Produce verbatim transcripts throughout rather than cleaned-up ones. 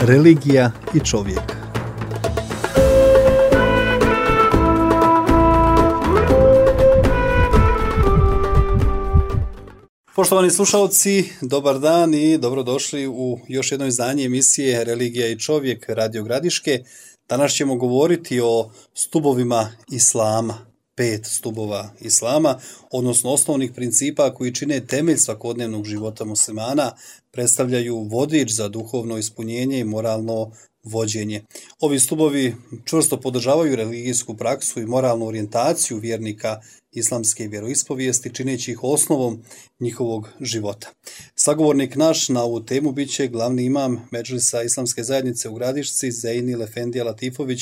Religija i čovjek. Poštovani slušalci, dobar dan i dobrodošli u još jedno izdanje emisije Religija i čovjek Radio Gradiške. Danas ćemo govoriti o stubovima Islama, pet stubova Islama, odnosno osnovnih principa koji čine temelj svakodnevnog života muslimana, predstavljaju vodič za duhovno ispunjenje i moralno vođenje. Ovi stubovi čvrsto podržavaju religijsku praksu i moralnu orijentaciju vjernika islamske vjeroispovijesti, čineći ih osnovom njihovog života. Sagovornik naš na ovu temu bit će glavni imam Medžlisa Islamske zajednice u Gradišci, Zejnil Efendija Latifović.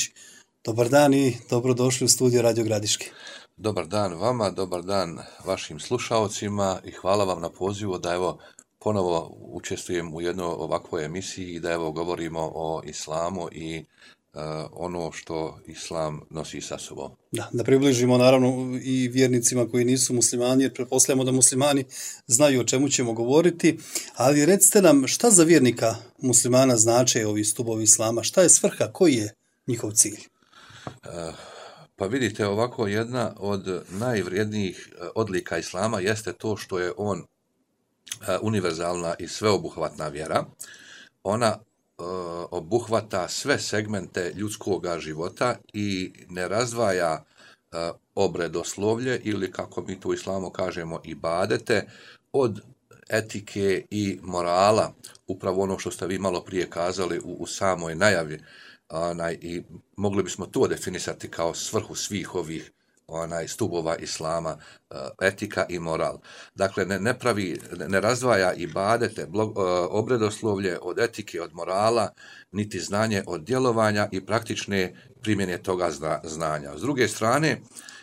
Dobar dan i dobrodošli u studio Radio Gradiške. Dobar dan vama, dobar dan vašim slušaocima i hvala vam na pozivu da evo ponovo učestvujem u jednoj ovakvoj emisiji i da evo govorimo o islamu i uh, ono što islam nosi sa sobom. Da, da približimo naravno i vjernicima koji nisu muslimani, jer pretpostavljamo da muslimani znaju o čemu ćemo govoriti, ali recite nam šta za vjernika muslimana znače ovi stubovi islama, šta je svrha, koji je njihov cilj? Uh, Pa vidite, ovako jedna od najvrijednijih odlika islama jeste to što je on univerzalna i sveobuhvatna vjera. Ona uh, obuhvata sve segmente ljudskog života i ne razdvaja uh, obredoslovlje ili kako mi to u islamu kažemo ibadete od etike i morala, upravo ono što ste vi malo prije kazali u, u samoj najavi. Onaj, i mogli bismo to definisati kao svrhu svih ovih onaj, stubova islama, etika i moral. Dakle, ne, ne pravi, ne razdvaja ibadete, blog, obredoslovlje od etike, od morala, niti znanje od djelovanja i praktične primjene toga zna, znanja. S druge strane,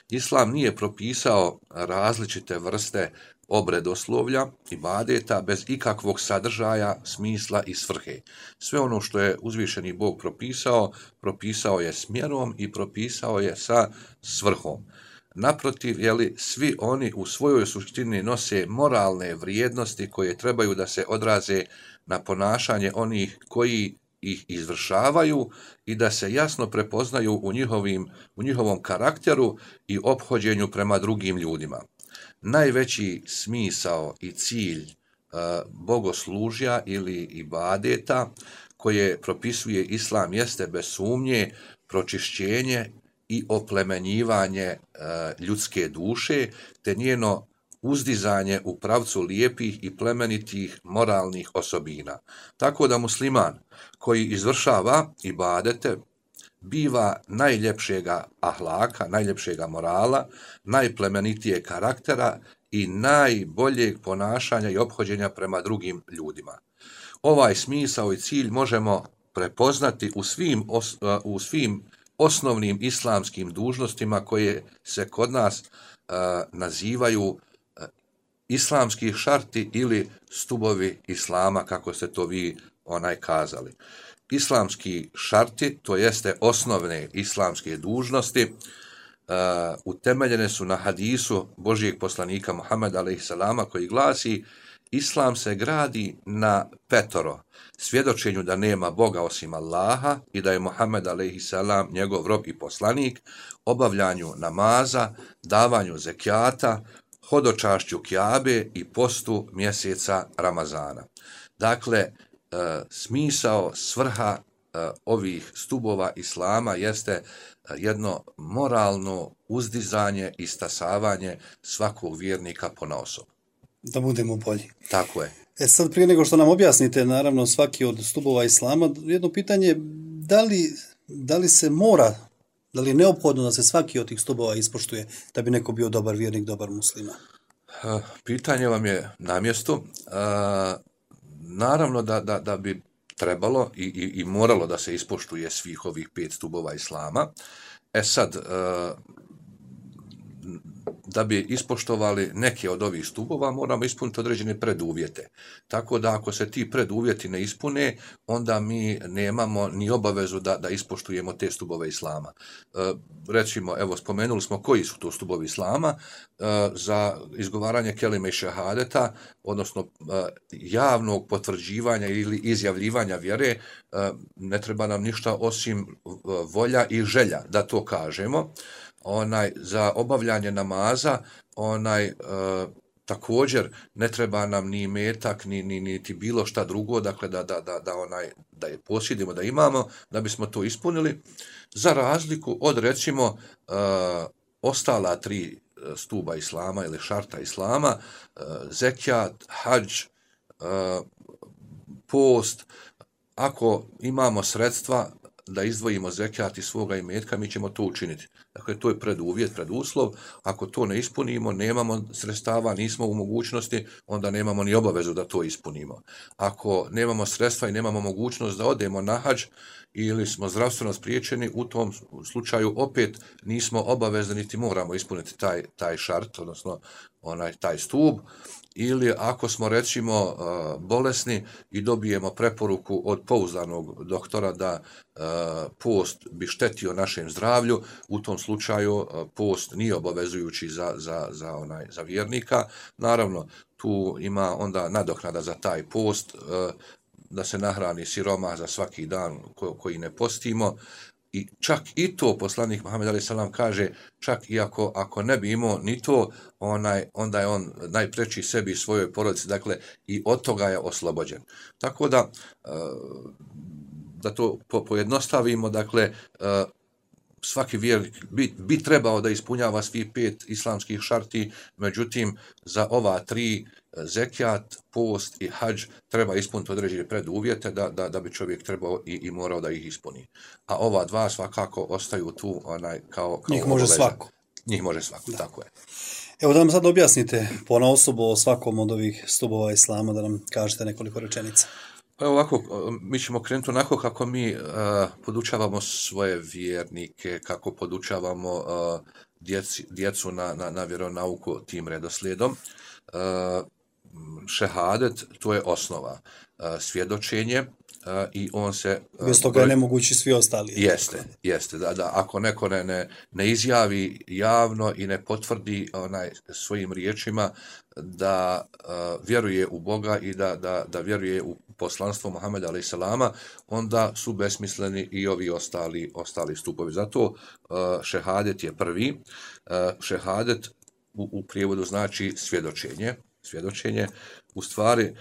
islam nije propisao različite vrste obredoslovlja, ibadeta, bez ikakvog sadržaja, smisla i svrhe. Sve ono što je uzvišeni Bog propisao, propisao je s mjerom i propisao je sa svrhom. Naprotiv, jeli, svi oni u svojoj suštini nose moralne vrijednosti koje trebaju da se odraze na ponašanje onih koji ih izvršavaju i da se jasno prepoznaju u, njihovim, u njihovom karakteru i ophođenju prema drugim ljudima. Najveći smisao i cilj uh, bogoslužja ili ibadeta koje propisuje islam jeste bez sumnje pročišćenje i oplemenjivanje uh, ljudske duše te njeno uzdizanje u pravcu lijepih i plemenitih moralnih osobina. Tako da musliman koji izvršava ibadete biva najljepšega ahlaka, najljepšega morala, najplemenitijeg karaktera i najboljeg ponašanja i ophođenja prema drugim ljudima. Ovaj smisao i cilj možemo prepoznati u svim, os, u svim osnovnim islamskim dužnostima koje se kod nas uh, nazivaju uh, islamski šarti ili stubovi islama, kako ste to vi onaj kazali. Islamski šarti, to jeste osnovne islamske dužnosti, uh, utemeljene su na hadisu Božijeg poslanika Muhameda alejhiselama koji glasi: Islam se gradi na petoro, svjedočenju da nema Boga osim Allaha i da je Muhammed alejhiselam njegov rob i poslanik, obavljanju namaza, davanju zekijata, hodočašću Kjabe i postu mjeseca Ramazana. Dakle, Uh, smisao, svrha uh, ovih stubova islama jeste uh, jedno moralno uzdizanje i stasavanje svakog vjernika ponaosob. Da budemo bolji. Tako je. E sad, prije nego što nam objasnite, naravno, svaki od stubova islama, jedno pitanje, da li, da li se mora, da li je neophodno da se svaki od tih stubova ispoštuje da bi neko bio dobar vjernik, dobar musliman? Uh, pitanje vam je na mjestu. Uh, Naravno da, da, da bi trebalo i, i, i moralo da se ispoštuje svih ovih pet stubova islama. E sad, da bi ispoštovali neke od ovih stubova, moramo ispuniti određene preduvjete. Tako da ako se ti preduvjeti ne ispune, onda mi nemamo ni obavezu da, da ispoštujemo te stubove islama. E, recimo, evo, spomenuli smo koji su to stubovi islama. E, za izgovaranje kelime i šehadeta, odnosno e, javnog potvrđivanja ili izjavljivanja vjere, e, ne treba nam ništa osim volja i želja da to kažemo. Onaj, za obavljanje namaza, onaj, e, također ne treba nam ni metak, ni, ni, niti bilo šta drugo, dakle da, da, da, da, onaj, da je posjedimo, da imamo, da bismo to ispunili, za razliku od, recimo, e, ostala tri stuba islama ili šarta islama, e, zekjat, hadž, e, post. Ako imamo sredstva da izdvojimo zekijat iz svoga imetka, mi ćemo to učiniti. Dakle, to je preduvjet, preduslov. Ako to ne ispunimo, nemamo sredstava, nismo u mogućnosti, onda nemamo ni obavezu da to ispunimo. Ako nemamo sredstva i nemamo mogućnost da odemo na hadž ili smo zdravstveno spriječeni, u tom slučaju opet nismo obavezni niti moramo ispuniti taj, taj šart, odnosno onaj taj stub. Ili ako smo, recimo, bolesni i dobijemo preporuku od pouzdanog doktora da post bi štetio našem zdravlju, u tom slučaju post nije obavezujući za, za, za, onaj, za vjernika. Naravno, tu ima onda nadoknada za taj post, da se nahrani siroma za svaki dan koji ne postimo. I čak i to poslanik Muhammed alejhi selam kaže, čak i ako, ako ne bi imao ni to, onaj, onda je on najpreči sebi i svojoj porodici, dakle i od toga je oslobođen. Tako da, da to pojednostavimo, dakle, svaki vjernik bi, bi trebao da ispunjava svi pet islamskih šarti, međutim, za ova tri, zekijat, post i hadž, treba ispuniti određene preduvjete da, da, da bi čovjek trebao i, i morao da ih ispuni. A ova dva svakako ostaju tu onaj, kao, kao njih može obaveza. svako. Njih može svako, da. Tako je. Evo da nam sad objasnite ponaosob o svakom od ovih stubova islama, da nam kažete nekoliko rečenica. Pa ovako, mi ćemo krenuti onako kako mi uh, podučavamo svoje vjernike, kako podučavamo uh, djeci, djecu na, na, na vjeronauku tim redoslijedom. Uh, šehadet, to je osnova. Uh, svjedočenje uh, i on se... Uh, Bez toga je nemogući svi ostali. Jeste, jeste. Da, da, ako neko ne, ne, ne izjavi javno i ne potvrdi onaj svojim riječima da uh, vjeruje u Boga i da, da, da vjeruje u poslanstvo Muhameda alejhi selama, onda su besmisleni i ovi ostali, ostali stupovi. Zato uh, šehadet je prvi. Uh, šehadet u, u prijevodu znači svjedočenje. Svjedočenje, u stvari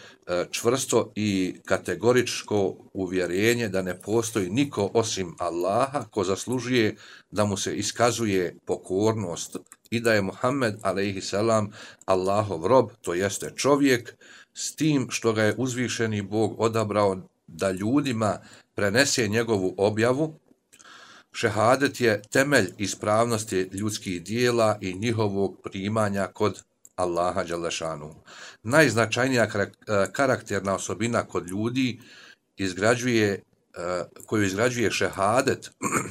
čvrsto i kategoričko uvjerenje da ne postoji niko osim Allaha ko zaslužuje da mu se iskazuje pokornost i da je Muhammed alejhi selam Allahov rob, to jeste čovjek, s tim što ga je uzvišeni Bog odabrao da ljudima prenese njegovu objavu. Šehadet je temelj ispravnosti ljudskih dijela i njihovog primanja kod Allaha dželešanu. Najznačajnija karakterna osobina kod ljudi izgrađuje, koju izgrađuje šehadet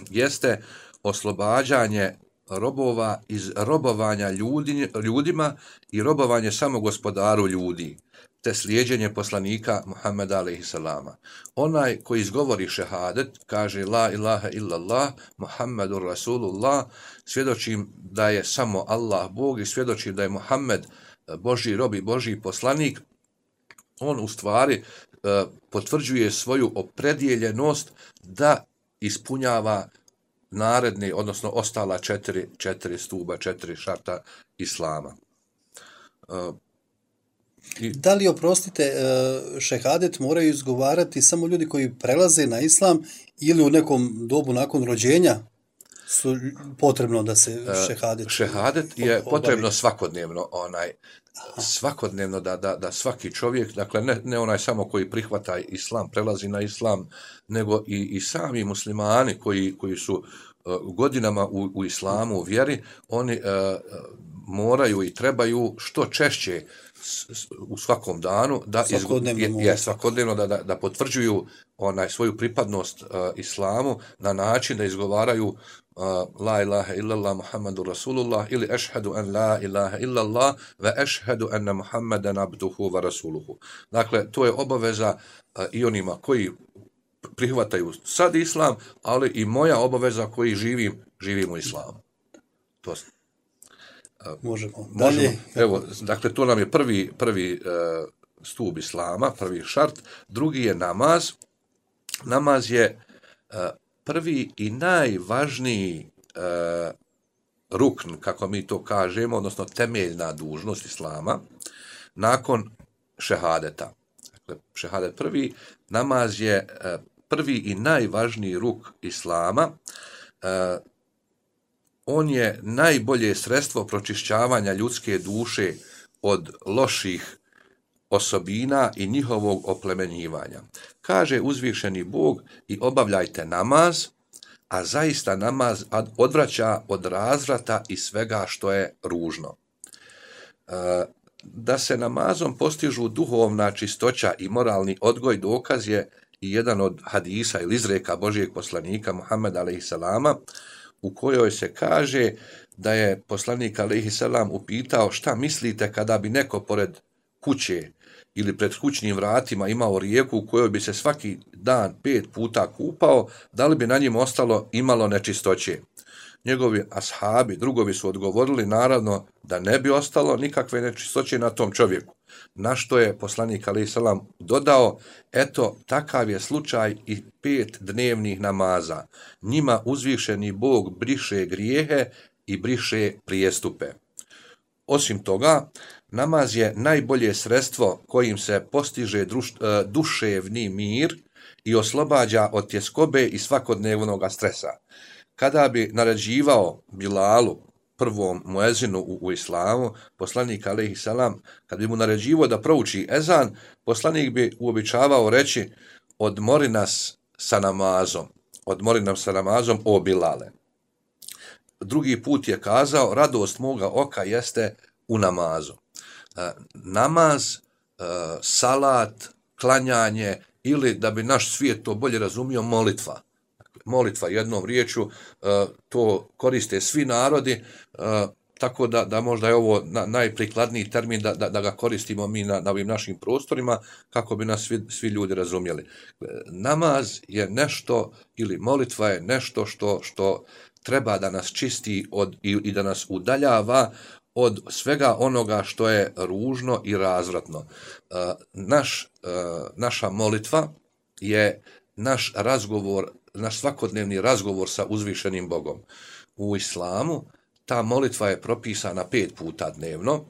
jeste oslobađanje robova iz robovanja ljudi, ljudima i robovanje samo gospodaru ljudi, te slijeđenje poslanika Muhammeda alejhi selama. Onaj koji izgovori šehadet, kaže la ilaha illallah, Muhammedur Rasulullah, svjedočim da je samo Allah Bog i svjedočim da je Muhammed Božji rob i Božji poslanik, on u stvari potvrđuje svoju opredjeljenost da ispunjava naredni, odnosno ostala četiri, četiri stuba, četiri šarta islama. I... Da li, oprostite, šehadet moraju izgovarati samo ljudi koji prelaze na islam ili u nekom dobu nakon rođenja su potrebno da se šehadet... Šehadet je obavi. Potrebno svakodnevno, onaj, svakodnevno da, da, da svaki čovjek, dakle ne, ne onaj samo koji prihvata islam, prelazi na islam, nego i, i sami muslimani koji, koji su uh, godinama u, u islamu, u vjeri, oni uh, moraju i trebaju što češće u svakom danu da svakodnevno, izgu, je, je, svakodnevno da, da, da potvrđuju onaj svoju pripadnost uh, islamu na način da izgovaraju uh, la ilaha illallah Muhammadu Rasulullah ili ešhedu an la ilaha illallah ve ešhedu anna Muhammadan abduhu wa rasuluhu. Dakle, to je obaveza uh, i onima koji prihvataju sad islam, ali i moja obaveza koji živim, živim u islamu. To Možemo. Možemo. Dalje. Evo, dakle, to nam je prvi, prvi uh, stup islama, prvi šart. Drugi je namaz. Namaz je uh, prvi i najvažniji uh, rukn, kako mi to kažemo, odnosno temeljna dužnost islama, nakon šehadeta. Dakle, šehadet prvi, namaz je uh, prvi i najvažniji ruk islama. Uh, On je najbolje sredstvo pročišćavanja ljudske duše od loših osobina i njihovog oplemenjivanja. Kaže uzvišeni Bog i obavljajte namaz, a zaista namaz odvraća od razvrata i svega što je ružno. Da se namazom postižu duhovna čistoća i moralni odgoj, dokaz je i jedan od hadisa ili izreka Božijeg poslanika Muhammeda alejhiselama, u kojoj se kaže da je poslanik alejhiselam upitao šta mislite kada bi neko pored kuće ili pred kućnim vratima imao rijeku u kojoj bi se svaki dan pet puta kupao, da li bi na njim ostalo imalo nečistoće. Njegovi ashabi, drugovi su odgovorili naravno da ne bi ostalo nikakve nečistoće na tom čovjeku. Na što je poslanik alejhiselam dodao, eto, takav je slučaj i pet dnevnih namaza. Njima uzvišeni Bog briše grijehe i briše prijestupe. Osim toga, namaz je najbolje sredstvo kojim se postiže druš, duševni mir i oslobađa od tjeskobe i svakodnevnog stresa. Kada bi naređivao Bilalu, prvom muezinu u, u islamu, poslanik alejhiselam, kad bi mu naređivao da prouči ezan, poslanik bi uobičavao reći odmori nas sa namazom, odmori nam sa namazom, o Bilale. Drugi put je kazao, radost moga oka jeste u namazu. E, namaz, e, salat, klanjanje ili, da bi naš svijet to bolje razumio, molitva. Molitva jednom riječju, to koriste svi narodi, tako da, da možda je ovo najprikladniji termin da, da, da ga koristimo mi na, na ovim našim prostorima, kako bi nas svi, svi ljudi razumjeli. Namaz je nešto, ili molitva je nešto što, što treba da nas čisti od, i, i da nas udaljava od svega onoga što je ružno i razvratno. Naš, naša molitva je naš razgovor, naš svakodnevni razgovor sa uzvišenim Bogom. U islamu ta molitva je propisana pet puta dnevno, uh,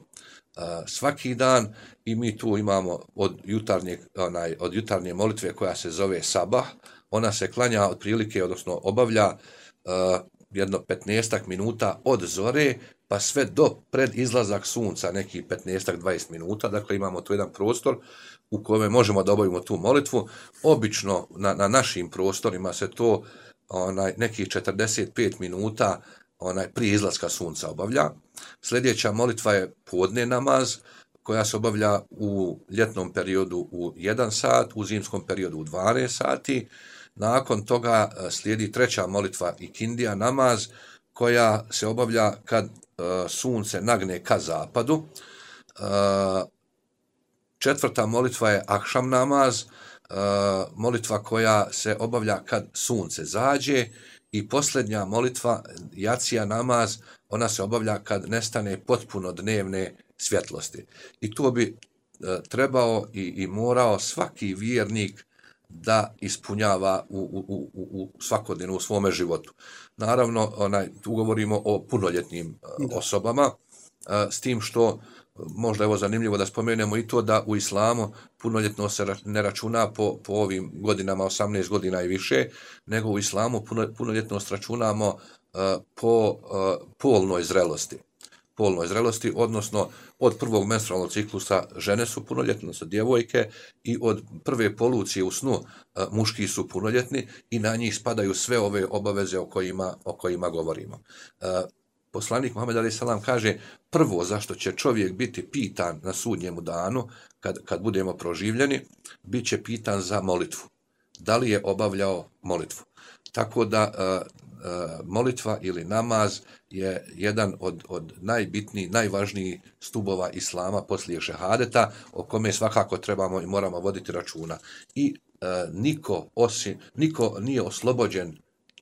svaki dan, i mi tu imamo od jutarnje, onaj, od jutarnje molitve koja se zove sabah. Ona se klanja otprilike, odnosno obavlja uh, jedno petnaestak minuta od zore pa sve do pred izlazak sunca, neki petnaestak dvadeset minuta. Dakle, imamo tu jedan prostor u kojem možemo da obavimo tu molitvu. Obično na, na našim prostorima se to onaj, nekih četrdeset pet minuta onaj, prije izlaska sunca obavlja. Sljedeća molitva je podne namaz, koja se obavlja u ljetnom periodu u jedan sat, u zimskom periodu u dvanaest sati. Nakon toga slijedi treća molitva ikindija namaz, koja se obavlja kad uh, sunce nagne ka zapadu. Uh, četvrta molitva je akšam namaz, uh, molitva koja se obavlja kad sunce zađe. I posljednja molitva, jacija namaz, ona se obavlja kad nestane potpuno dnevne svjetlosti. I to bi e, trebao i, i morao svaki vjernik da ispunjava u, u, u, u svakodnevno u svome životu. Naravno, onaj, tu govorimo o punoljetnim e, osobama, e, s tim što možda je ovo zanimljivo da spomenemo i to da u islamu punoljetno se ne računa po, po ovim godinama osamnaest godina i više, nego u islamu punoljetnost računamo uh, po uh, polnoj zrelosti. Polnoj zrelosti, odnosno od prvog menstrualnog ciklusa žene su punoljetne, su djevojke, i od prve polucije u snu uh, muški su punoljetni i na njih spadaju sve ove obaveze o kojima, o kojima govorimo. Uh, poslanik Muhammed alejhi selam kaže prvo zašto će čovjek biti pitan na sudnjemu danu, kad, kad budemo proživljeni, bit će pitan za molitvu. Da li je obavljao molitvu? Tako da uh, uh, molitva ili namaz je jedan od, od najbitnijih, najvažnijih stubova islama poslije šehadeta, o kome svakako trebamo i moramo voditi računa. I uh, niko, osim, niko nije oslobođen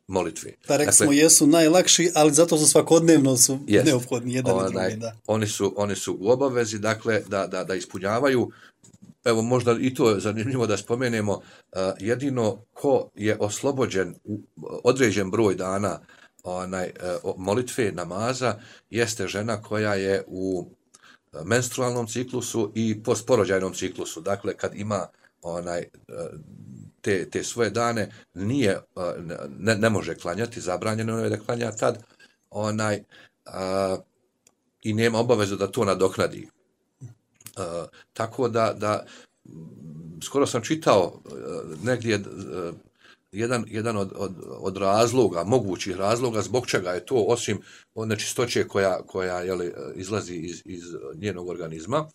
molitve. Pa rekli smo, jesu najlakši, ali zato su svakodnevno su jest, neophodni jedan onaj, i drugi. Da. Oni su, oni su u obavezi, dakle, da, da, da ispunjavaju. Evo, možda i to je zanimljivo da spomenemo, uh, jedino ko je oslobođen u određen broj dana onaj, uh, molitve, namaza, jeste žena koja je u menstrualnom ciklusu i postporođajnom ciklusu. Dakle, kad ima onaj uh, te, te svoje dane, nije, uh, ne, ne može klanjati, zabranjeno je da klanja tad, onaj, uh, i nema obavezu da to nadoknadi. Uh, tako da, da skoro sam čitao uh, negdje uh, jedan, jedan od, od, od razloga, mogućih razloga zbog čega je to, osim od nečistoće koja, koja jeli, izlazi iz, iz njenog organizma, uh,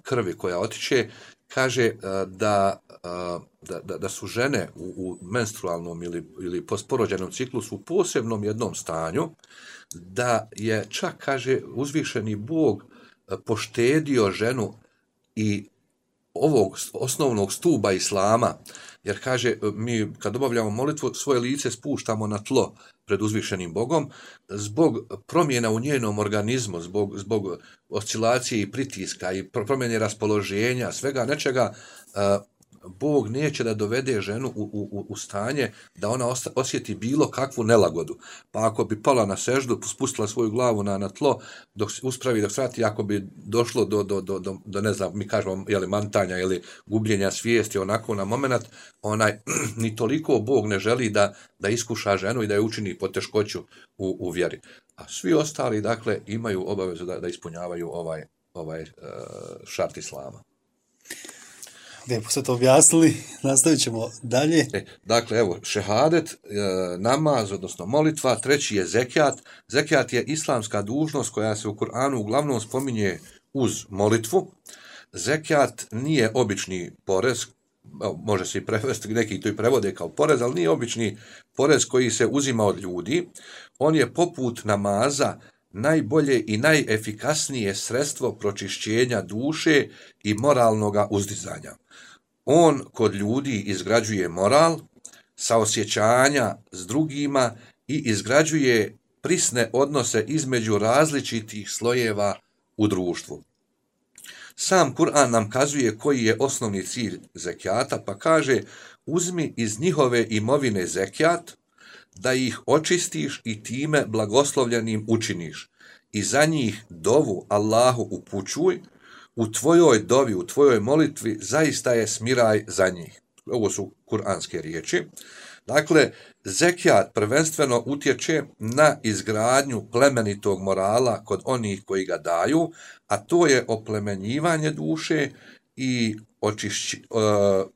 krvi koja otiče, kaže uh, da, uh, da, da, da su žene u, u menstrualnom ili, ili postporođajnom ciklusu u posebnom jednom stanju, da je čak, kaže, uzvišeni Bog poštedio ženu i ovog osnovnog stuba islama, jer kaže, mi kad obavljamo molitvu, svoje lice spuštamo na tlo pred uzvišenim Bogom, zbog promjena u njenom organizmu, zbog, zbog oscilacije i pritiska i promjene raspoloženja, svega nečega, Bog neće da dovede ženu u, u, u stanje da ona osjeti bilo kakvu nelagodu. Pa ako bi pala na seždu, spustila svoju glavu na, na tlo, dok uspravi, dok svrati, ako bi došlo do, do, do, do, do ne znam, mi kažemo, jeli, mantanja ili gubljenja svijesti, onako na moment, onaj, ni toliko Bog ne želi da, da iskuša ženu i da je učini poteškoću u, u vjeri. A svi ostali, dakle, imaju obavezu da, da ispunjavaju ovaj, ovaj uh, šart islama. Lijepo ste to objasnili, nastavit ćemo dalje. E, dakle, evo, šehadet, e, namaz, odnosno molitva, treći je zekijat. Zekijat je islamska dužnost koja se u Kur'anu uglavnom spominje uz molitvu. Zekijat nije obični porez, može se i prevesti, neki to i prevode kao porez, ali nije obični porez koji se uzima od ljudi. On je poput namaza najbolje i najefikasnije sredstvo pročišćenja duše i moralnoga uzdizanja. On kod ljudi izgrađuje moral, saosjećanja s drugima i izgrađuje prisne odnose između različitih slojeva u društvu. Sam Kur'an nam kazuje koji je osnovni cilj zekijata, pa kaže: uzmi iz njihove imovine zekijat, da ih očistiš i time blagoslovljenim učiniš, i za njih dovu Allahu upućuj, u tvojoj dovi, u tvojoj molitvi zaista je smiraj za njih. Ovo su kuranske riječi. Dakle, zekijat prvenstveno utječe na izgradnju plemenitog morala kod onih koji ga daju, a to je oplemenjivanje duše i očišći, uh,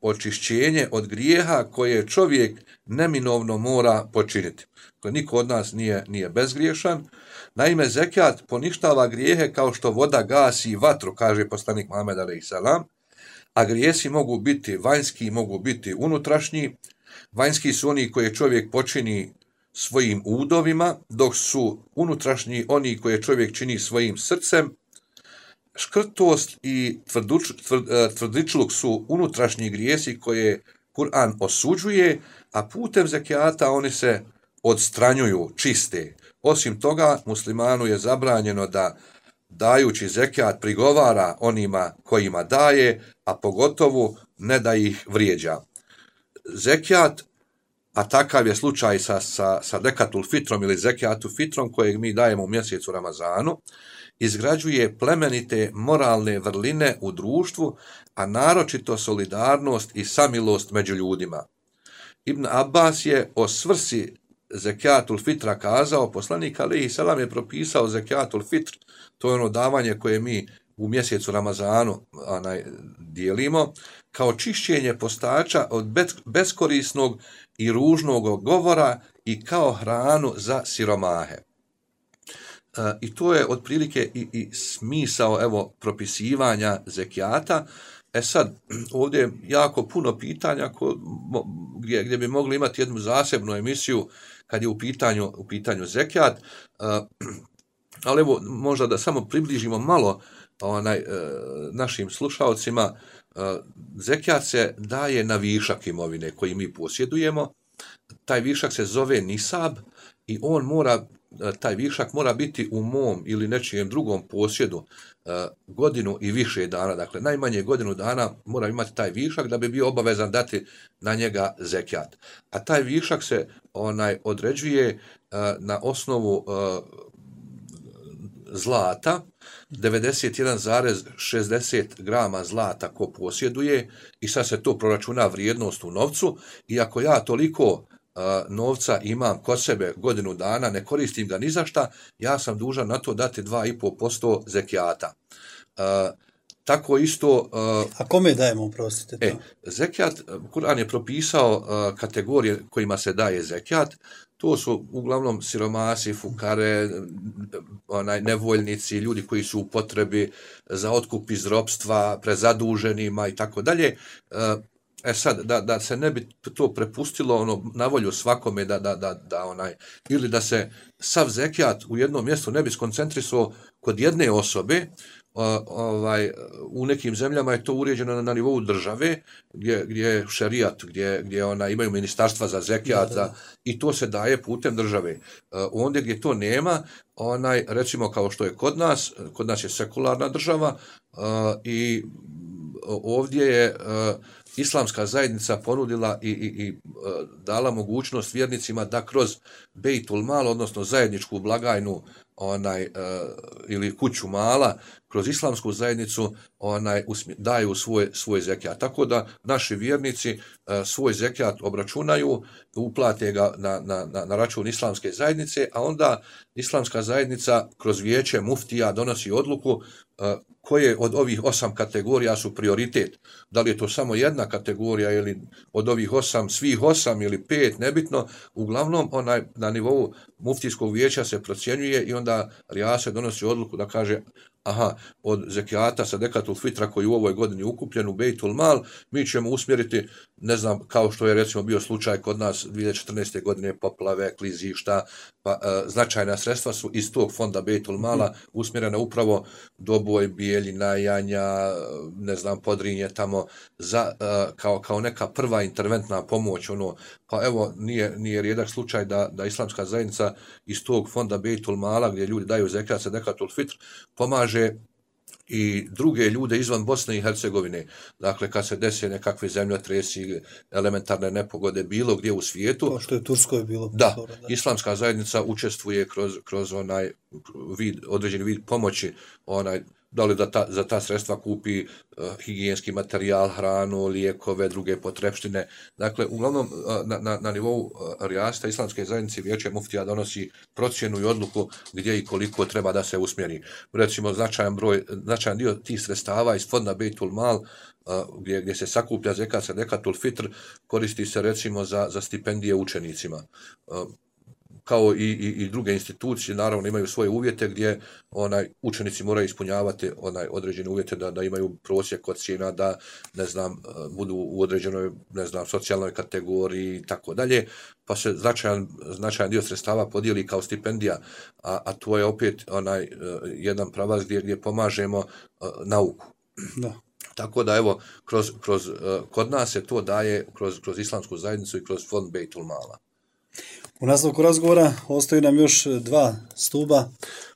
očišćenje od grijeha koje čovjek neminovno mora počiniti. Niko od nas nije, nije bezgriješan. Naime, zekijat poništava grijehe kao što voda gasi vatru, kaže poslanik Muhammed alejhi selam, a grijesi mogu biti vanjski, mogu biti unutrašnji. Vanjski su oni koje čovjek počini svojim udovima, dok su unutrašnji oni koje čovjek čini svojim srcem. Škrtost i tvrduč, tvrd, tvrdičluk su unutrašnji grijesi koje Kur'an osuđuje, a putem zekijata oni se odstranjuju, čiste. Osim toga, muslimanu je zabranjeno da, dajući zekijat, prigovara onima kojima daje, a pogotovo ne da ih vrijeđa. Zekijat, a takav je slučaj sa, sa, sa dekatul fitrom ili zekijatu fitrom kojeg mi dajemo u mjesecu Ramazanu, izgrađuje plemenite moralne vrline u društvu, a naročito solidarnost i samilost među ljudima. Ibn Abbas je o svrsi zekijatul fitra kazao: poslanik alejhi selam je propisao zekijatul fitr, to je ono davanje koje mi u mjesecu Ramazanu onaj, dijelimo, kao čišćenje postača od beskorisnog i ružnog govora i kao hranu za siromahe. i to je otprilike i, i smisao evo propisivanja zekijata. E sad, ovdje je jako puno pitanja ko, gdje, gdje bi mogli imati jednu zasebnu emisiju kad je u pitanju, u pitanju zekijat, ali evo možda da samo približimo malo onaj, našim slušalcima. Zekijat se daje na višak imovine koji mi posjedujemo. Taj višak se zove nisab i on mora, taj višak mora biti u mom ili nečijem drugom posjedu godinu i više dana. Dakle, najmanje godinu dana mora imati taj višak da bi bio obavezan dati na njega zekijat. A taj višak se onaj određuje na osnovu zlata, devedeset jedan zarez šezdeset grama zlata ko posjeduje i sad se to proračuna vrijednost u novcu i ako ja toliko uh, novca imam kod sebe godinu dana, ne koristim ga ni za šta, ja sam dužan na to dati dva i pol posto zekijata. Uh, tako isto... Uh, A kome dajemo, prostite to? E, zekijat, Kur'an je propisao uh, kategorije kojima se daje zekijat. To su uglavnom siromasi, fukare, onaj, nevoljnici, ljudi koji su u potrebi za otkup iz ropstva, prezaduženima i tako dalje. E sad, da, da se ne bi to prepustilo ono, na volju svakome, da, da, da, da onaj, ili da se sav zekijat u jednom mjestu ne bi skoncentrisao kod jedne osobe, ovaj, u nekim zemljama je to uređeno na, na nivou države, gdje, gdje je šerijat, gdje, gdje ona, imaju ministarstva za zekijat, da, da, da. I to se daje putem države. Ondje gdje to nema, onaj, recimo kao što je kod nas, kod nas je sekularna država i ovdje je islamska zajednica ponudila i, i, i dala mogućnost vjernicima da kroz Bejtul Mal, odnosno zajedničku blagajnu onaj uh, ili kuću mala, kroz islamsku zajednicu onaj usmje, daju svoj svoj zekijat. Tako da naši vjernici uh, svoj zekijat obračunaju, uplate ga na, na, na, na račun islamske zajednice, a onda islamska zajednica kroz vijeće muftija donosi odluku uh, koje od ovih osam kategorija su prioritet. Da li je to samo jedna kategorija ili od ovih osam, svih osam ili pet, nebitno. Uglavnom, onaj, na nivou muftijskog vijeća se procjenjuje i onda rijase donosi odluku da kaže aha, od zekijata sadekatul fitra koji u ovoj godini ukupljen u Bejtul Mal, mi ćemo usmjeriti, ne znam, kao što je recimo bio slučaj kod nas dvije tisuće četrnaeste godine, poplave, klizišta, pa e, značajna sredstva su iz tog fonda Bejtul Mala usmjerena upravo Doboj, Bijeljina, Janja, ne znam, Podrinje tamo, za, e, kao, kao neka prva interventna pomoć, ono, pa evo, nije, nije rijedak slučaj da, da islamska zajednica iz tog fonda Bejtul Mala, gdje ljudi daju zekijat sadekatul fitr, pomaže i druge ljude izvan Bosne i Hercegovine. Dakle, kad se desi nekakve zemljotresi, elementarne nepogode, bilo gdje u svijetu. Kao što je Turskoj bilo. Da, posora, da, islamska zajednica učestvuje kroz, kroz onaj vid, određeni vid pomoći, onaj, da li da ta, za ta sredstva kupi uh, higijenski materijal, hranu, lijekove, druge potrepštine. Dakle, uglavnom, uh, na, na, na nivou uh, rijasta islamske zajednice vijeće muftija donosi procjenu i odluku gdje i koliko treba da se usmjeri. Recimo, značajan broj, značajan dio tih sredstava iz fonda Bejtul Mal, uh, gdje, gdje se sakuplja zekat sadekatul fitr, koristi se recimo za, za stipendije učenicima. Uh, kao i, i, i druge institucije, naravno imaju svoje uvjete gdje onaj učenici moraju ispunjavati onaj određene uvjete da, da imaju prosjek ocjena, da ne znam, budu u određenoj, ne znam, socijalnoj kategoriji i tako dalje, pa se značajan, značajan dio sredstava podijeli kao stipendija, a, a to je opet onaj jedan pravac gdje, gdje pomažemo uh, nauku. Da. Tako da evo, kroz, kroz, uh, kod nas se to daje kroz, kroz islamsku zajednicu i kroz fond Bejtul Mala. U nastavku razgovora ostaju nam još dva stuba.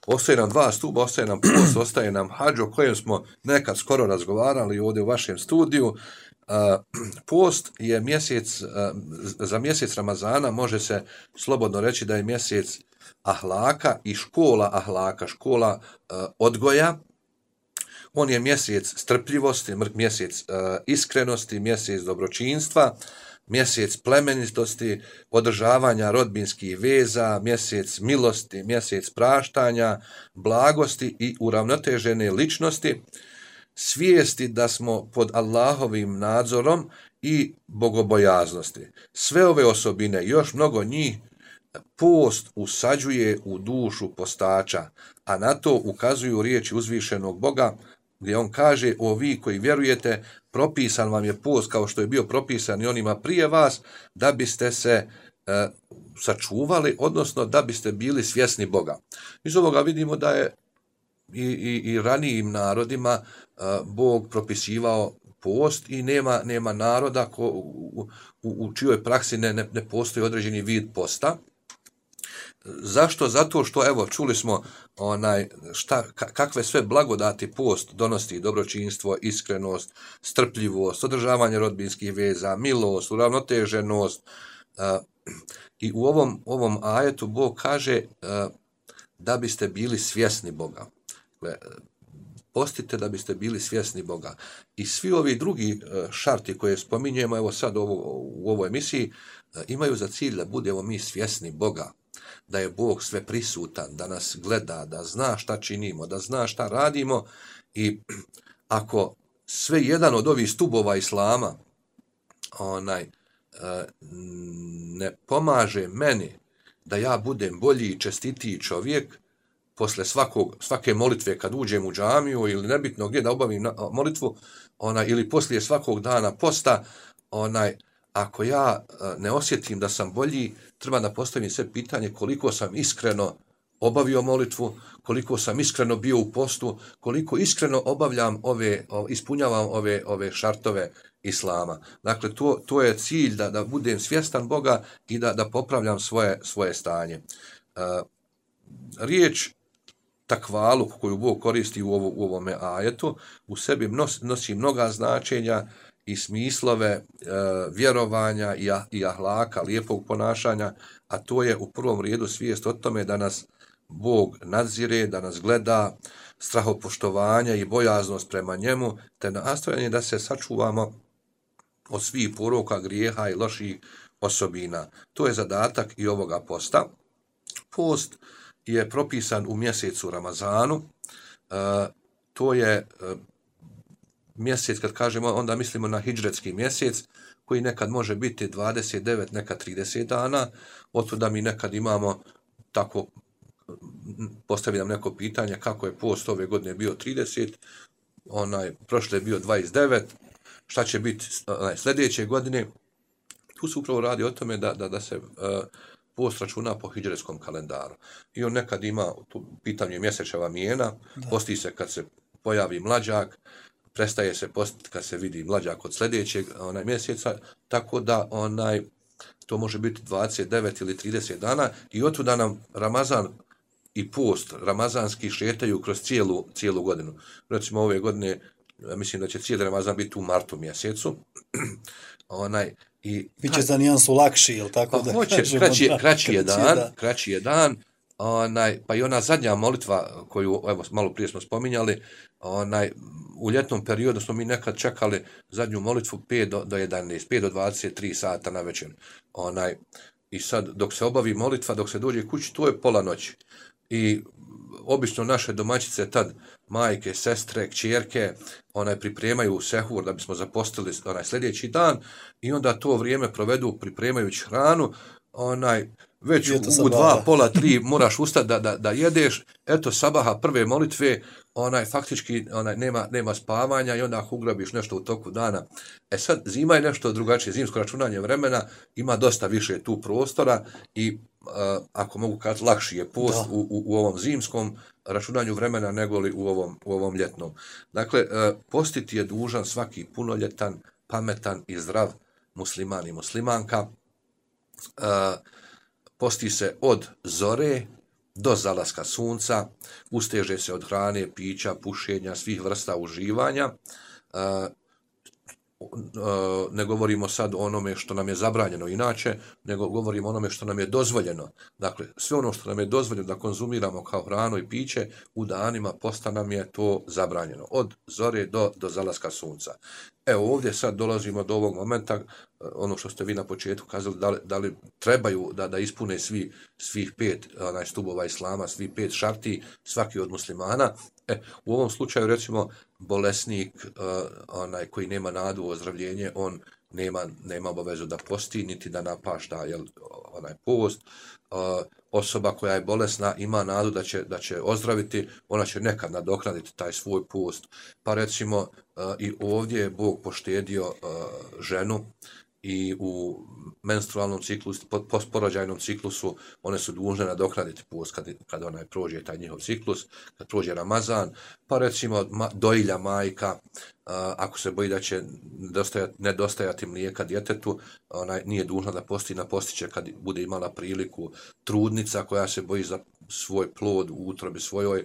Ostaje nam dva stuba, ostaje nam post, ostaje nam hadž, o kojem smo nekad skoro razgovarali ovdje u vašem studiju. Uh, post je mjesec, uh, za mjesec Ramazana može se slobodno reći da je mjesec ahlaka i škola ahlaka, škola uh, odgoja. On je mjesec strpljivosti, mjesec uh, iskrenosti, mjesec dobročinstva, mjesec plemenitosti, održavanja rodbinskih veza, mjesec milosti, mjesec praštanja, blagosti i uravnotežene ličnosti, svijesti da smo pod Allahovim nadzorom i bogobojaznosti. Sve ove osobine, još mnogo njih, post usađuje u dušu postača, a na to ukazuju riječi uzvišenog Boga, gdje on kaže: o vi koji vjerujete, propisan vam je post kao što je bio propisan i onima prije vas, da biste se e, sačuvali, odnosno da biste bili svjesni Boga. Iz ovoga vidimo da je i, i, i ranijim narodima e, Bog propisivao post i nema, nema naroda ko, u, u, u čijoj praksi ne, ne, ne postoji određeni vid posta. Zašto? Zato što, evo, čuli smo onaj, šta, kakve sve blagodati post donosi: dobročinstvo, iskrenost, strpljivost, održavanje rodbinskih veza, milost, uravnoteženost. I u ovom, ovom ajetu Bog kaže da biste bili svjesni Boga. Postite da biste bili svjesni Boga. I svi ovi drugi šarti koje spominjemo, evo sad ovo, u ovoj emisiji, imaju za cilj da budemo mi svjesni Boga, da je Bog sve prisutan, da nas gleda, da zna šta činimo, da zna šta radimo. I ako sve jedan od ovih stubova islama onaj, ne pomaže meni da ja budem bolji i čestitiji čovjek, posle svakog, svake molitve kad uđem u džamiju ili nebitno gdje da obavim molitvu, onaj, ili poslije svakog dana posta, onaj, ako ja ne osjetim da sam bolji, treba da postavim sve pitanje koliko sam iskreno obavio molitvu, koliko sam iskreno bio u postu, koliko iskreno obavljam ove, ispunjavam ove, ove šartove islama. Dakle, to, to je cilj, da, da budem svjestan Boga i da, da popravljam svoje, svoje stanje. Uh, riječ takvaluk koju Bog koristi u, ovo, u ovome ajetu u sebi nosi, nosi mnoga značenja i smislove e, vjerovanja i, ah, i ahlaka, lijepog ponašanja, a to je u prvom redu svijest o tome da nas Bog nadzire, da nas gleda, strahopoštovanja i bojaznost prema njemu, te nastojanje da se sačuvamo od svih poroka, grijeha i loših osobina. To je zadatak i ovoga posta. Post je propisan u mjesecu Ramazanu. E, to je e, mjesec, kad kažemo, onda mislimo na hidžretski mjesec, koji nekad može biti dvadeset devet, nekad trideset dana. Otuda mi nekad imamo tako, postavljam neko pitanje kako je post ove godine bio trideset, onaj, prošle je bio dvadeset devet, šta će biti onaj, sljedeće godine. Tu se upravo radi o tome da, da, da se uh, post računa po hidžretskom kalendaru. I on nekad ima tu pitanje mjesečeva mijena, da. Posti se kad se pojavi mlađak, prestaje se postiti kad se vidi mlađak od sljedećeg onaj, mjeseca, tako da onaj, to može biti dvadeset devet ili trideset dana i otuda nam Ramazan i post ramazanski šetaju kroz cijelu, cijelu godinu. Recimo ove godine, mislim da će cijeli Ramazan biti u martu mjesecu. Onaj, i biće za nijansu lakši, jel tako? Pa da hoće, kažemo, kraći, da, kraći je dan, da. kraći je dan, onaj, pa i ona zadnja molitva koju, evo, malo prije smo spominjali, onaj, u ljetnom periodu smo mi nekad čekali zadnju molitvu pet do jedanaest, pet do dvadeset tri sata na večer. Onaj, i sad, dok se obavi molitva, dok se dođe kući, to je pola noći. I obično naše domaćice tad, majke, sestre, kćerke, onaj, pripremaju sehur da bismo zapostili onaj sljedeći dan i onda to vrijeme provedu pripremajući hranu, onaj, već u, u dva, pola, tri moraš ustati da, da, da jedeš, eto sabaha prve molitve, onaj, faktički onaj, nema, nema spavanja i onda ako ugrabiš nešto u toku dana. E sad, zima je nešto drugačije, zimsko računanje vremena, ima dosta više tu prostora i uh, ako mogu kazati, lakši je post u, u, u ovom zimskom računanju vremena nego li u ovom, u ovom ljetnom. Dakle, uh, postiti je dužan svaki punoljetan, pametan i zdrav musliman i muslimanka. Uh, posti se od zore do zalaska sunca, usteže se od hrane, pića, pušenja, svih vrsta uživanja. Uh, ne govorimo sad o onome što nam je zabranjeno inače, nego govorimo o onome što nam je dozvoljeno. Dakle, sve ono što nam je dozvoljeno da konzumiramo kao hranu i piće, u danima posta nam je to zabranjeno. Od zore do, do zalaska sunca. Evo ovdje sad dolazimo do ovog momenta, ono što ste vi na početku kazali, da li, da li trebaju da, da ispune svi, svih pet onaj, stubova islama, svih pet šarti, svaki od muslimana. E, u ovom slučaju, recimo, bolesnik, uh, onaj koji nema nadu u ozdravljenje, on nema, nema obavezu da posti, niti da napašta jel, onaj post. Uh, osoba koja je bolesna ima nadu da će, da će ozdraviti, ona će nekad nadoknaditi taj svoj post. Pa recimo uh, i ovdje je Bog poštedio uh, ženu i u menstrualnom ciklusu, postporođajnom ciklusu, one su dužne nadoknaditi post kad, kad onaj prođe taj njihov ciklus, kad prođe Ramazan, pa recimo ma, dojilja majka, a, ako se boji da će nedostajati, nedostajati mlijeka djetetu, ona nije dužna da posti, na postiće kad bude imala priliku. Trudnica koja se boji za svoj plod u utrobi svojoj,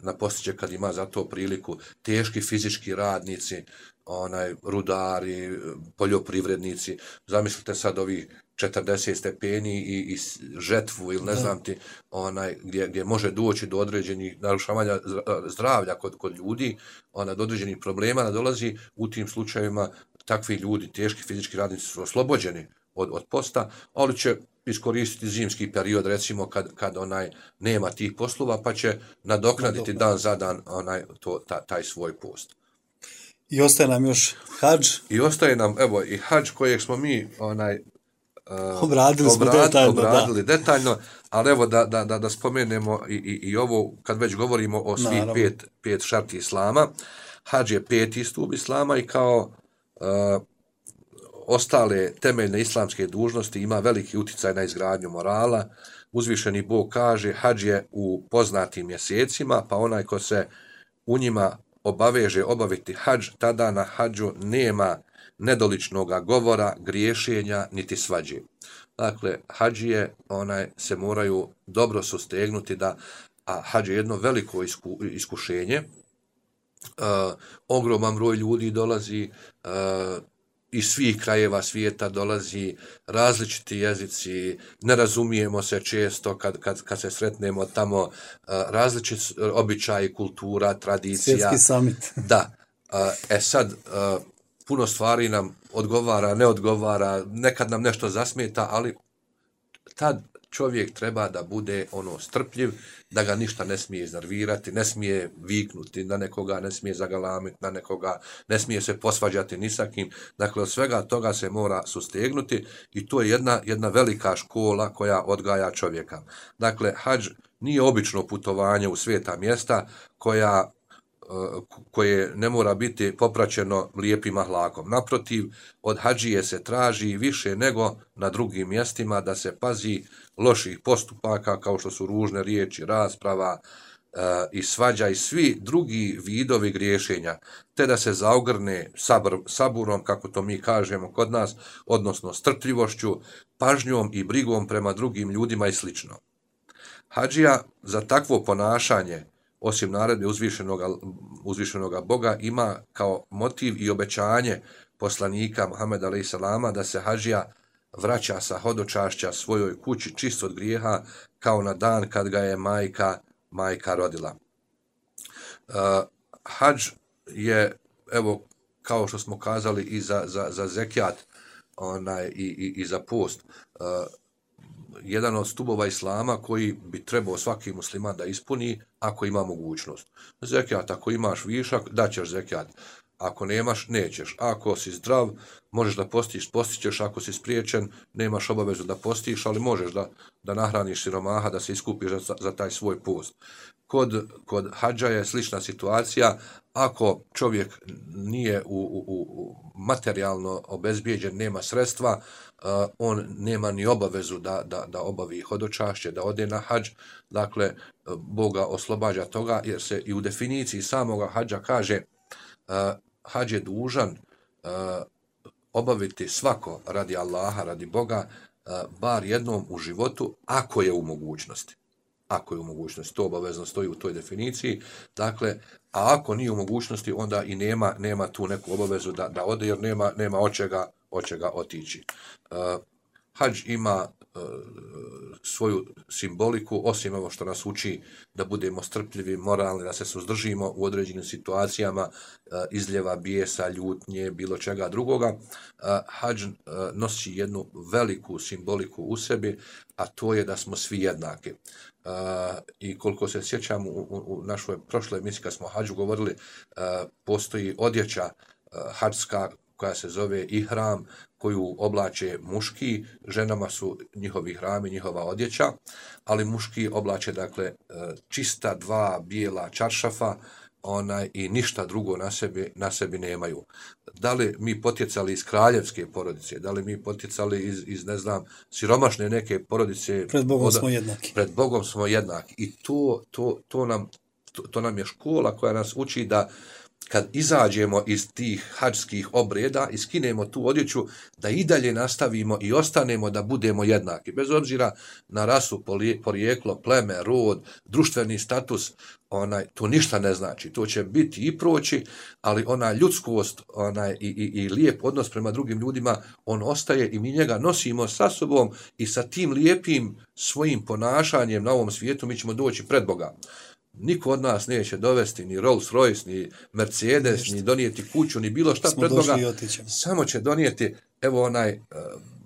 na postiće kad ima za to priliku. Teški fizički radnici, onaj rudari, poljoprivrednici, zamislite sad ovih četrdeset stepeni i, i žetvu ili ne znam ti, onaj, gdje, gdje može doći do određenih narušavanja zdravlja kod, kod ljudi, ona, do određenih problema dolazi. U tim slučajevima takvi ljudi, teški fizički radnici su oslobođeni od, od posta, ali će iskoristiti zimski period, recimo kad, kad onaj nema tih poslova, pa će nadoknaditi dan za dan onaj, to, ta, taj svoj post. I ostaje nam još hadž. I ostaje nam, evo, i hadž kojeg smo mi onaj, uh, obradili, smo obrad, detaljno, obradili da. detaljno, ali evo da, da, da, da spomenemo i, i, i ovo, kad već govorimo o svih pet, pet šarti islama, hadž je peti stup islama i kao uh, ostale temeljne islamske dužnosti ima veliki uticaj na izgradnju morala. Uzvišeni Bog kaže, hadž je u poznatim mjesecima, pa onaj ko se u njima obaveže obaviti hadž, tada na hadžu nema nedoličnoga govora, griješenja, niti svađe. Dakle, hadžije onaj, se moraju dobro sustegnuti, da, a hadž je jedno veliko isku, iskušenje. Uh, ogroman broj ljudi dolazi, uh, iz svih krajeva svijeta dolazi, različiti jezici, ne razumijemo se često kad, kad, kad se sretnemo tamo, uh, različiti običaji, kultura, tradicija. Svjetski summit. Da. Uh, e sad, uh, puno stvari nam odgovara, ne odgovara, nekad nam nešto zasmeta, ali tad čovjek treba da bude ono strpljiv, da ga ništa ne smije iznervirati, ne smije viknuti na nekoga, ne smije zagalamiti na nekoga, ne smije se posvađati ni sa kim. Dakle, od svega toga se mora sustegnuti i to je jedna, jedna velika škola koja odgaja čovjeka. Dakle, hadž nije obično putovanje u sveta mjesta koja koje ne mora biti popraćeno lijepim ahlakom. Naprotiv, od hadžije se traži više nego na drugim mjestima da se pazi loših postupaka kao što su ružne riječi, rasprava e, i svađa i svi drugi vidovi griješenja, te da se zaogrne sabr, saburom, kako to mi kažemo kod nas, odnosno strpljivošću, pažnjom i brigom prema drugim ljudima i sl. Hadžija za takvo ponašanje, osim naredbe uzvišenoga, uzvišenoga Boga, ima kao motiv i obećanje poslanika Muhameda alejhi selama da se hadžija vraća sa hodočašća svojoj kući čist od grijeha kao na dan kad ga je majka, majka rodila. Uh, hadž je, evo, kao što smo kazali i za, za, za zekijat onaj, i, i, i za post, uh, jedan od stubova islama koji bi trebao svaki musliman da ispuni ako ima mogućnost. Zekijat, ako imaš višak, daćeš zekijat. Ako nemaš, nećeš. Ako si zdrav, možeš da postiš, postićeš. Ako si spriječen, nemaš obavezu da postiš, ali možeš da, da nahraniš siromaha, da se iskupiš za, za taj svoj post. Kod, kod hadža je slična situacija. Ako čovjek nije u, u, u materijalno obezbijeđen, nema sredstva, uh, on nema ni obavezu da, da, da obavi hodočašće, da ode na hadž. Dakle, Boga oslobađa toga, jer se i u definiciji samoga hadža kaže uh, hadž je dužan uh, obaviti svako radi Allaha, radi Boga, uh, bar jednom u životu, ako je u mogućnosti. Ako je u mogućnosti, to obavezno stoji u toj definiciji. Dakle, a ako nije u mogućnosti, onda i nema, nema tu neku obavezu da, da ode, jer nema, nema od čega, od čega otići. Uh, hadž ima uh, svoju simboliku, osim ovo što nas uči da budemo strpljivi, moralni, da se suzdržimo u određenim situacijama uh, izljeva bijesa, ljutnje, bilo čega drugoga. Uh, hadž uh, nosi jednu veliku simboliku u sebi, a to je da smo svi jednaki. Uh, i koliko se sjećam u, u, u našoj prošloj emisiji kad smo o hadžu govorili, uh, postoji odjeća uh, hadžska koja se zove ihram, koju oblače muški, ženama su njihovi hrami, njihova odjeća, ali muški oblače, dakle, čista dva bijela čaršafa, onaj, i ništa drugo na sebi, na sebi nemaju. Da li mi potjecali iz kraljevske porodice, da li mi potjecali iz, iz ne znam, siromašne neke porodice, pred Bogom od, smo jednaki. Pred Bogom smo jednaki. I to, to, to, nam, to, to nam je škola koja nas uči da kad izađemo iz tih hadžskih obreda i skinemo tu odjeću, da i dalje nastavimo i ostanemo da budemo jednaki. Bez obzira na rasu, porijeklo, pleme, rod, društveni status, onaj, to ništa ne znači. To će biti i proći, ali ona ljudskost onaj, i, i, i lijep odnos prema drugim ljudima, on ostaje i mi njega nosimo sa sobom i sa tim lijepim svojim ponašanjem na ovom svijetu mi ćemo doći pred Boga. Niko od nas neće dovesti ni Rolls Royce, ni Mercedes, Ništa. Ni donijeti kuću, ni bilo šta smo pred Boga. Samo će donijeti evo onaj,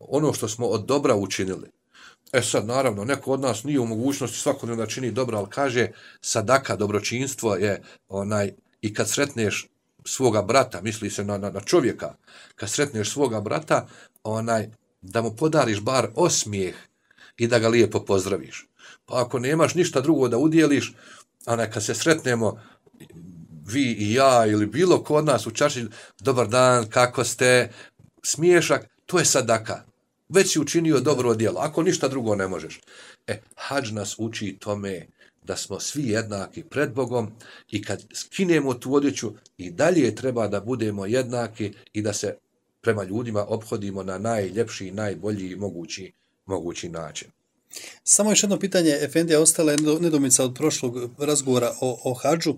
ono što smo od dobra učinili. E sad, naravno, neko od nas nije u mogućnosti svakodnevno da čini dobro, ali kaže sadaka, dobročinstvo je onaj, i kad sretneš svoga brata, misli se na, na, na čovjeka, kad sretneš svoga brata, onaj, da mu podariš bar osmijeh i da ga lijepo pozdraviš. Pa ako nemaš ništa drugo da udjeliš, a neka se sretnemo vi i ja ili bilo ko od nas u čarši, dobar dan, kako ste, smiješak, to je sadaka. Već si učinio dobro djelo, ako ništa drugo ne možeš. E, hadž nas uči tome da smo svi jednaki pred Bogom i kad skinemo tu odjeću i dalje treba da budemo jednaki i da se prema ljudima ophodimo na najljepši, najbolji mogući, mogući način. Samo još jedno pitanje, Efendija, ostala je nedomica od prošlog razgovora o, o hadžu.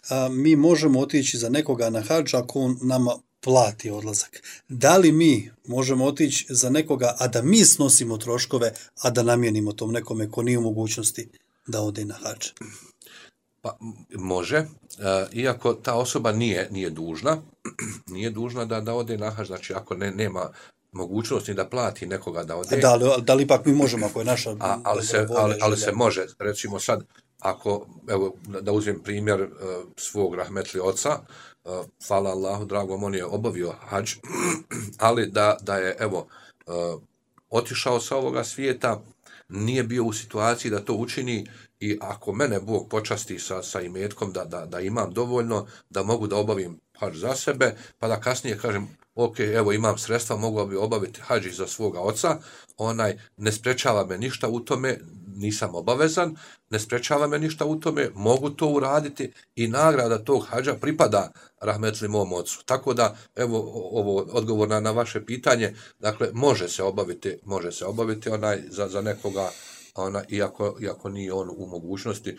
A, mi možemo otići za nekoga na hadž ako on nama plati odlazak. Da li mi možemo otići za nekoga, a da mi snosimo troškove, a da namjenimo tom nekome ko nije u mogućnosti da ode na hadž? Pa, može, e, iako ta osoba nije, nije dužna, nije dužna da, da ode na hadž, znači ako ne, nema mogućnosti da plati nekoga da ode. Da li, da li ipak mi možemo, ako je naša... A, ali, se, ali, ali se može, recimo sad, ako, evo, da uzmem primjer uh, svog rahmetli oca, uh, hvala Allahu, dragom, on je obavio hadž, ali da, da je, evo, uh, otišao sa ovoga svijeta, nije bio u situaciji da to učini i ako mene Bog počasti sa, sa imetkom da, da, da imam dovoljno, da mogu da obavim hadž za sebe, pa da kasnije kažem, ok, evo imam sredstva, mogu bi obaviti hadž za svoga oca, onaj ne sprečava me ništa u tome, nisam obavezan, ne sprečava me ništa u tome, mogu to uraditi i nagrada tog hadža pripada rahmetli mom ocu. Tako da, evo, ovo odgovor na, na vaše pitanje, dakle, može se obaviti, može se obaviti onaj za, za nekoga, ona, iako, iako nije on u mogućnosti,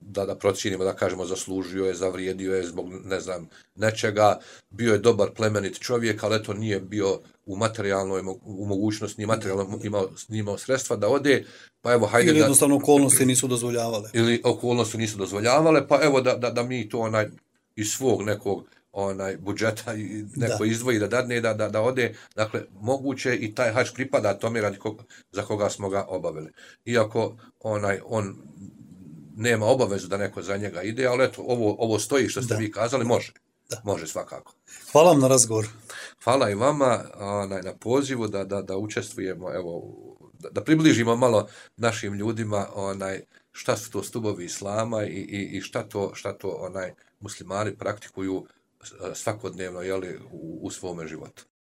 da, da procijenimo, da kažemo, zaslužio je, zavrijedio je zbog, ne znam, nečega, bio je dobar plemenit čovjek, ali eto nije bio u materijalnoj u mogućnosti, nije materijalno imao, imao sredstva da ode, pa evo, hajde ili da... jednostavno okolnosti nisu dozvoljavale. Ili okolnosti nisu dozvoljavale, pa evo da, da, da mi to onaj, iz svog nekog onaj budžeta i neko da. izdvoji da dadne da, da, da ode, dakle, moguće i taj hadž pripada tome radi koga, za koga smo ga obavili. Iako onaj, on nema obavezu da neko za njega ide, ali eto, ovo, ovo stoji što ste da. vi kazali, može. Da. Može svakako. Hvala vam na razgovor. Hvala i vama onaj, na pozivu da, da, da učestvujemo, evo, da, da približimo malo našim ljudima onaj, šta su to stubovi islama i, i, i šta to, šta to onaj, muslimani praktikuju svakodnevno jeli, u, u svome životu.